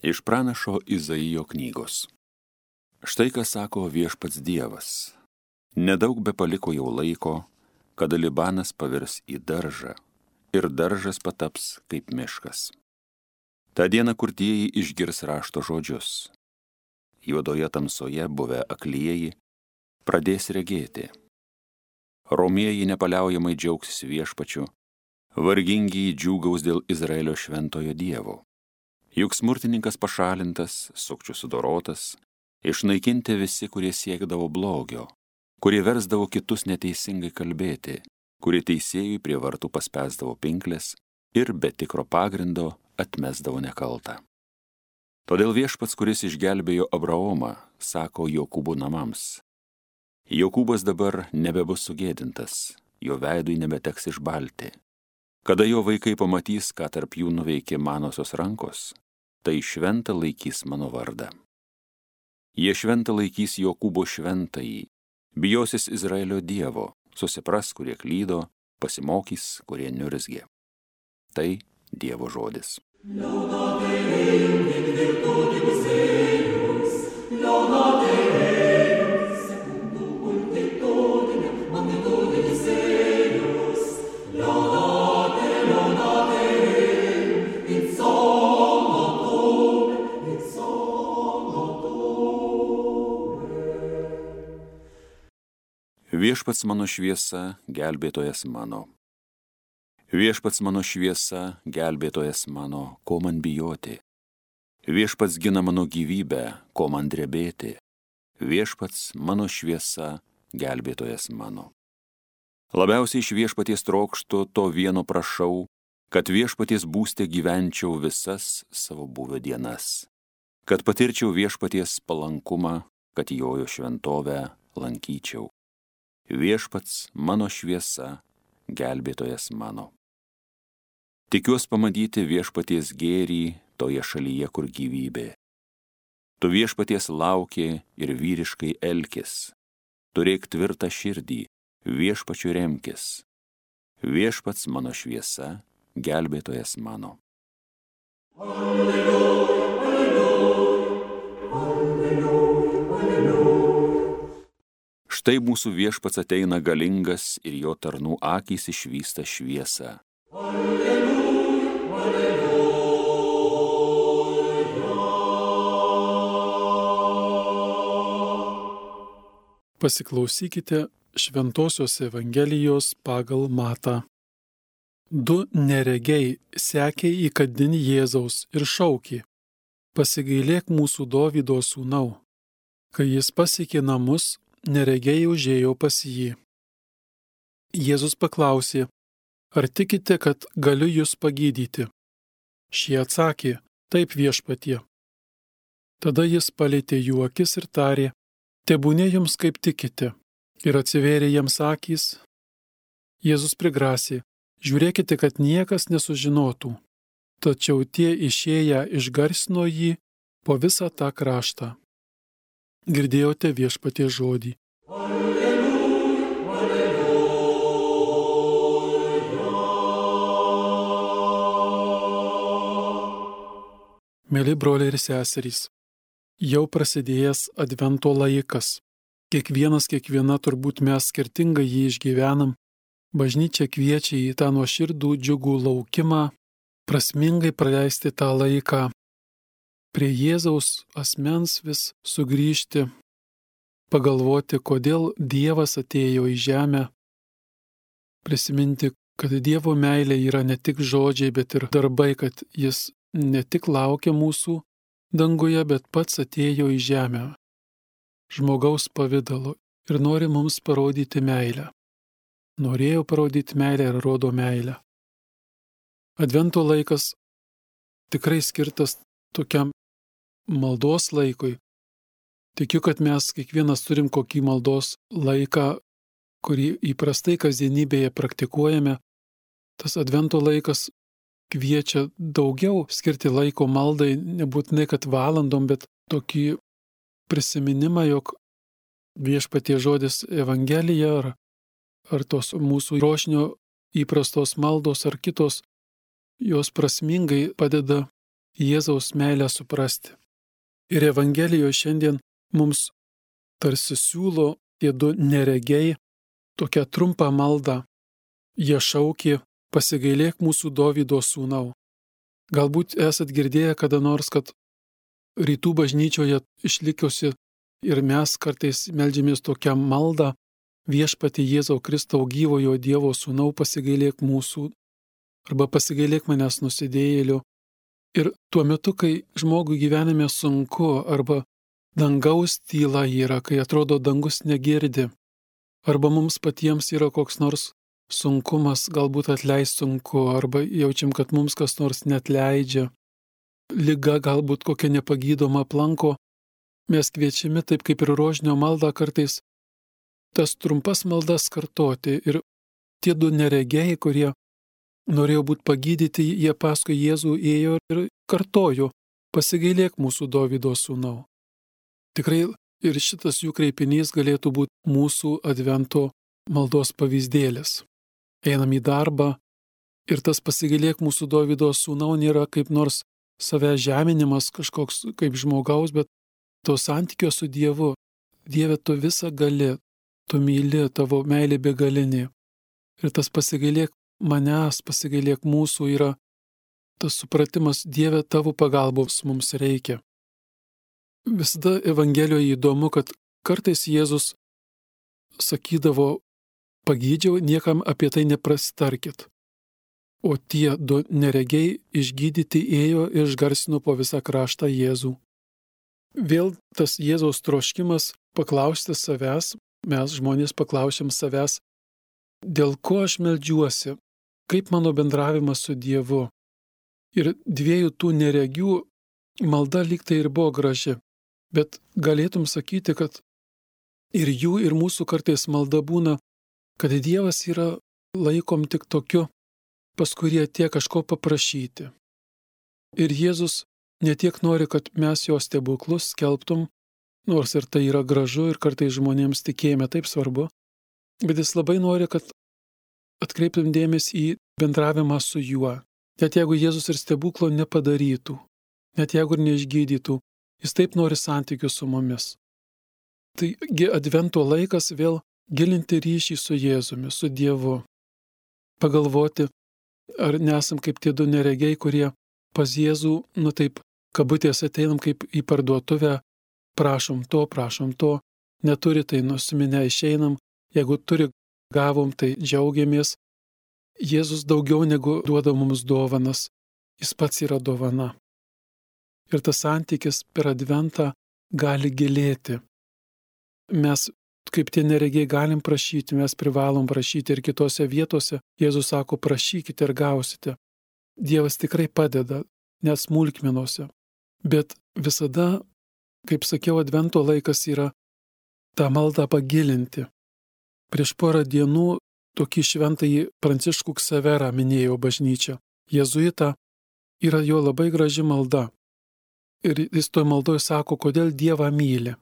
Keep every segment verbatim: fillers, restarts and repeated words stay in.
Iš pranašo Izaijo knygos. Štai ką sako viešpats Dievas. Nedaug be paliko jau laiko, kada Libanas pavirs į daržą ir daržas pataps kaip miškas. Ta diena kurtieji išgirs rašto žodžius. Juodoje tamsoje buvę aklieji pradės regėti. Romieji nepaliaujamai džiaugsis viešpačiu, vargingi džiūgaus dėl Izraelio šventojo Dievo. Juk smurtininkas pašalintas, sukčių sudorotas, išnaikinti visi, kurie siekdavo blogio, kurie versdavo kitus neteisingai kalbėti, kurie teisėjui prie vartų paspęsdavo pinklės ir be tikro pagrindo atmesdavo nekaltą. Todėl viešpats, kuris išgelbėjo Abraomą, sako Jokūbo namams. Jokūbas dabar nebebus sugėdintas, jo veidui nebeteks išbalti. Kada jo vaikai pamatys, ką tarp jų nuveikė manosios rankos, tai šventą laikys mano vardą. Jie šventą laikys Jokūbo šventąjį, bijosis Izraelio Dievo, susipras, kurie klydo, pasimokys, kurie niurzgė. Tai Dievo žodis. Viešpats mano šviesa, gelbėtojas mano. Viešpats mano šviesa, gelbėtojas mano, ko man bijoti. Viešpats gina mano gyvybę, ko man drebėti. Viešpats mano šviesa, gelbėtojas mano. Labiausiai iš viešpaties trokštu, to vieno prašau, kad viešpaties būste gyvenčiau visas savo buvę dienas. Kad patirčiau viešpaties palankumą, kad jojo šventovę lankyčiau. Viešpats mano šviesa, gelbėtojas mano. Tikiuos pamatyti viešpaties gėrį toje šalyje, kur gyvybė. Tu viešpaties lauki ir vyriškai elkis. Turėk tvirtą širdį, viešpačiu remkis. Viešpats mano šviesa, gelbėtojas mano. Alleluja, alleluja, alleluja, alleluja. Štai mūsų viešpats ateina galingas ir jo tarnų akys išvysta šviesą. Alleluja, alleluja. Pasiklausykite Šventosios Evangelijos pagal Matą. Du neregiai sekė įkandin Jėzaus ir šaukė: Pasigailėk mūsų Dovydo sūnau. Kai jis pasiekė namus, neregiai užėjo pas jį. Jėzus paklausė: Ar tikite, kad galiu jūs pagydyti? Šie atsakė: Taip, viešpatie. Tada jis palietė jų akis ir tarė: Tebūnie jums kaip tikite. Ir atsivėrė jiems akys. Jėzus prigrasė: Žiūrėkite, kad niekas nesužinotų. Tačiau tie išėję išgarsino jį po visą tą kraštą. Girdėjote viešpaties žodį. Alleluja, alleluja. Mėly broliai ir seserys, jau prasidėjęs Advento laikas. Kiekvienas, kiekviena turbūt mes skirtingai jį išgyvenam. Bažnyčia kviečia į tą nuoširdų džiugų laukimą, prasmingai praleisti tą laiką. Prie Jėzaus asmens vis sugrįžti, pagalvoti, kodėl Dievas atėjo į žemę, prisiminti, kad Dievo meilė yra ne tik žodžiai, bet ir darbai, kad jis ne tik laukia mūsų danguje, bet pats atėjo į žemę žmogaus pavidalu ir nori mums parodyti meilę. Norėjo parodyti meilę ir rodo meilę. Advento laikas tikrai skirtas tokiam maldos laikui. Tikiu, kad mes kiekvienas turim kokį maldos laiką, kurį įprastai kasdienybėje praktikuojame. Tas Advento laikas kviečia daugiau skirti laiko maldai, nebūtinai kad valandom, bet tokį prisiminimą, jog viešpaties žodis Evangelija ar, ar tos mūsų rožinio įprastos maldos ar kitos, jos prasmingai padeda Jėzaus meilę suprasti. Ir Evangelijoje šiandien mums tarsi siūlo tie du neregiai tokią trumpą maldą. Jie šaukė, pasigailėk mūsų Dovydo sūnau. Galbūt esat girdėję kada nors, kad rytų bažnyčioje išlikusi ir mes kartais meldžiamės tokią maldą, viešpatie Jėzau Kristau gyvojo Dievo sūnau, pasigailėk mūsų, arba pasigailėk manęs nusidėjėlių. Ir tuo metu, kai žmogui gyvenime sunku, arba dangaus tyla yra, kai atrodo dangus negirdi, arba mums patiems yra koks nors sunkumas, galbūt atleist sunku, arba jaučiam, kad mums kas nors neatleidžia, liga galbūt kokia nepagydoma aplanko, mes kviečiami taip kaip ir rožinio maldą kartais tas trumpas maldas kartoti. Ir tie du neregiai, kurie norėjo būti pagydyti, jie paskui Jėzų ėjo ir kartojo, pasigailėk mūsų Dovydo sūnau. Tikrai ir šitas jų kreipinys galėtų būti mūsų advento maldos pavyzdėlis. Einam į darbą ir tas pasigailėk mūsų Dovydo sūnau nėra kaip nors savęs žeminimas kažkoks kaip žmogaus, bet to santykio su Dievu. Dieve, tu visą gali, tu myli, tavo meilė begalinė. Ir tas pasigailėk manęs, pasigailėk mūsų yra tas supratimas, Dieve, tavo pagalbos mums reikia. Visada Evangelijoje įdomu, kad kartais Jėzus sakydavo, pagydžiau, niekam apie tai neprasitarkit. O tie du neregiai išgydyti ėjo ir išgarsino po visą kraštą Jėzų. Vėl tas Jėzaus troškimas paklausti savęs, mes žmonės paklausim savęs, dėl ko aš meldžiuosi, kaip mano bendravimas su Dievu. Ir dviejų tų neregių malda lyg tai ir buvo graži, bet galėtum sakyti, kad ir jų, ir mūsų kartais malda būna, kad Dievas yra laikom tik tokiu, pas kurį atėjo kažko paprašyti. Ir Jėzus ne tiek nori, kad mes jo stebuklus skelbtum, nors ir tai yra gražu ir kartais žmonėms tikėjime taip svarbu, bet jis labai nori, kad atkreiptum dėmesį į bendravimą su juo. Net jeigu Jėzus ir stebuklo nepadarytų, net jeigu ir neišgydytų, jis taip nori santykių su mumis. Taigi advento laikas vėl gilinti ryšį su Jėzumi, su Dievu. Pagalvoti, ar nesam kaip tie du neregiai, kurie pas Jėzų, nu taip, kabutės ateinam kaip į parduotuvę, prašom to, prašom to, neturi, tai nusiminę išeinam, jeigu turi, gavom, tai džiaugiamės. Jėzus daugiau negu duoda mums dovanas, jis pats yra dovana. Ir tas santykis per adventą gali gilėti. Mes, kaip tie neregiai, galim prašyti, mes privalom prašyti ir kitose vietose. Jėzus sako, prašykite ir gausite. Dievas tikrai padeda, net smulkmenose. Bet visada, kaip sakiau, advento laikas yra tą maldą pagilinti. Prieš porą dienų tokį šventąjį Pranciškų Ksaverą minėjo bažnyčia. Jėzuitą yra jo labai graži malda. Ir jis toj maldoje sako, kodėl Dievą myli.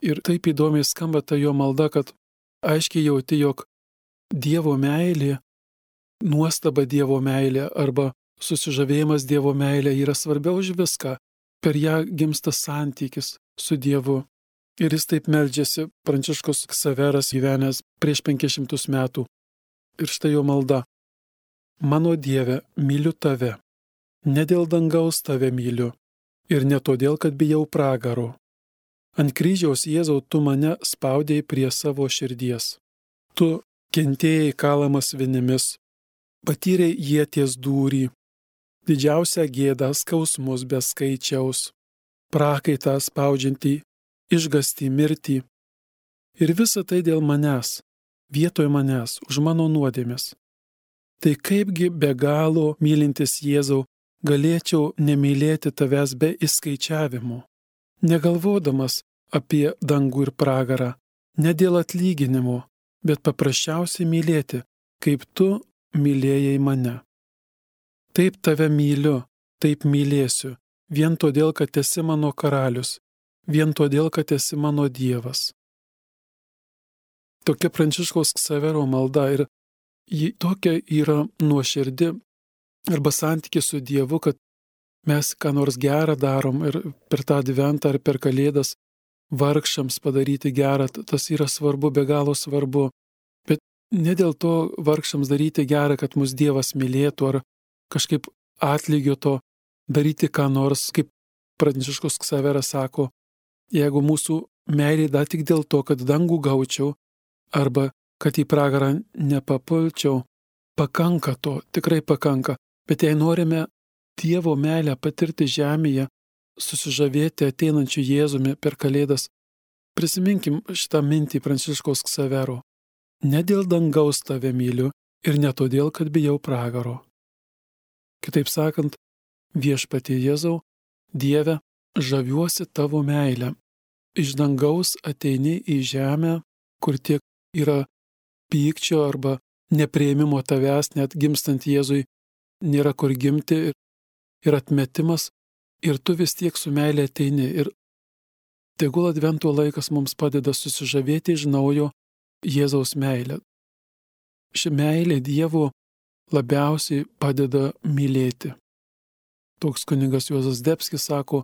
Ir taip įdomiai skamba ta jo malda, kad aiškiai jauti, jog Dievo meilė, nuostaba Dievo meilė arba susižavėjimas Dievo meilė yra svarbiau už viską. Per ją gimsta santykis su Dievu. Ir jis taip meldžiasi, Pranciškus Ksaveras gyvenęs prieš penkis šimtus metų. Ir štai jo malda. Mano Dieve, myliu tave. Ne dėl dangaus tave myliu. Ir ne todėl, kad bijau pragaro. Ant kryžiaus Jėzau tu mane spaudėjai prie savo širdies. Tu kentėjai kalamas vinimis, patyrei ieties dūrį, didžiausią gėdą skausmus be skaičiaus, prakaitą spaudžiantį, išgąstį mirtį. Ir visa tai dėl manęs, vietoj manęs, už mano nuodėmes. Tai kaipgi be galo mylintis Jėzau galėčiau nemylėti tavęs be įskaičiavimų, negalvodamas apie dangų ir pragarą, ne dėl atlyginimo, bet paprasčiausiai mylėti, kaip tu mylėjai mane. Taip tave myliu, taip mylėsiu, vien todėl, kad esi mano karalius, vien todėl, kad esi mano Dievas. Tokia Pranciškaus Ksavero malda ir ji tokia yra nuoširdi arba santykis su Dievu, kad mes ką nors gerą darom ir per tą adventą ar per Kalėdas vargšams padaryti gerą, tas yra svarbu, be galo svarbu. Bet ne dėl to vargšams daryti gerą, kad mus Dievas mylėtų ar kažkaip atlygio to daryti ką nors, kaip Pranciškus Ksaveras sako, jeigu mūsų meilė da tik dėl to, kad dangų gaučiau arba kad į pragarą nepapulčiau, pakanka to, tikrai pakanka. Bet jei norime Dievo meilę patirti žemėje, susižavėti ateinančiu Jėzumi per Kalėdas, prisiminkim šitą mintį Pranciškaus Ksavero. Ne dėl dangaus tave myliu ir ne todėl, kad bijau pragaro. Kitaip sakant, viešpatie Jėzau, Dieve, žaviuosi tavo meilę. Iš dangaus ateini į žemę, kur tiek yra pykčio arba nepriėmimo tavęs, net gimstant Jėzui, nėra kur gimti ir atmetimas, ir tu vis tiek su meilė ateini. Ir tegul advento laikas mums padeda susižavėti iš naujo Jėzaus meilę. Ši meilė Dievo labiausiai padeda mylėti. Toks kunigas Juozas Zdebskis sako,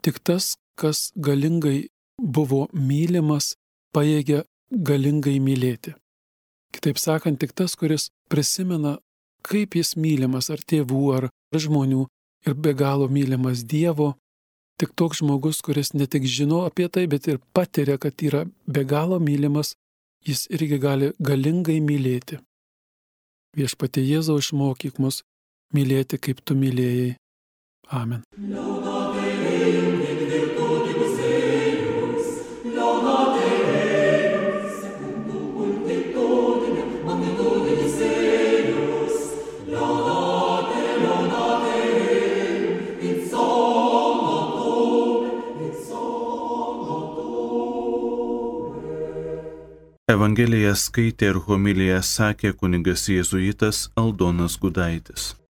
tik tas, kas galingai buvo mylimas, pajėgia galingai mylėti. Kitaip sakant, tik tas, kuris prisimena, kaip jis mylimas ar tėvų, ar žmonių ir be galo mylimas Dievo, tik toks žmogus, kuris ne tik žino apie tai, bet ir patiria, kad yra be galo mylimas, jis irgi gali galingai mylėti. Viešpatie Jėzau, išmokyk mus mylėti, kaip tu mylėjai. Amen. Evangeliją skaitė ir homiliją sakė kunigas jėzuitas Aldonas Gudaitis.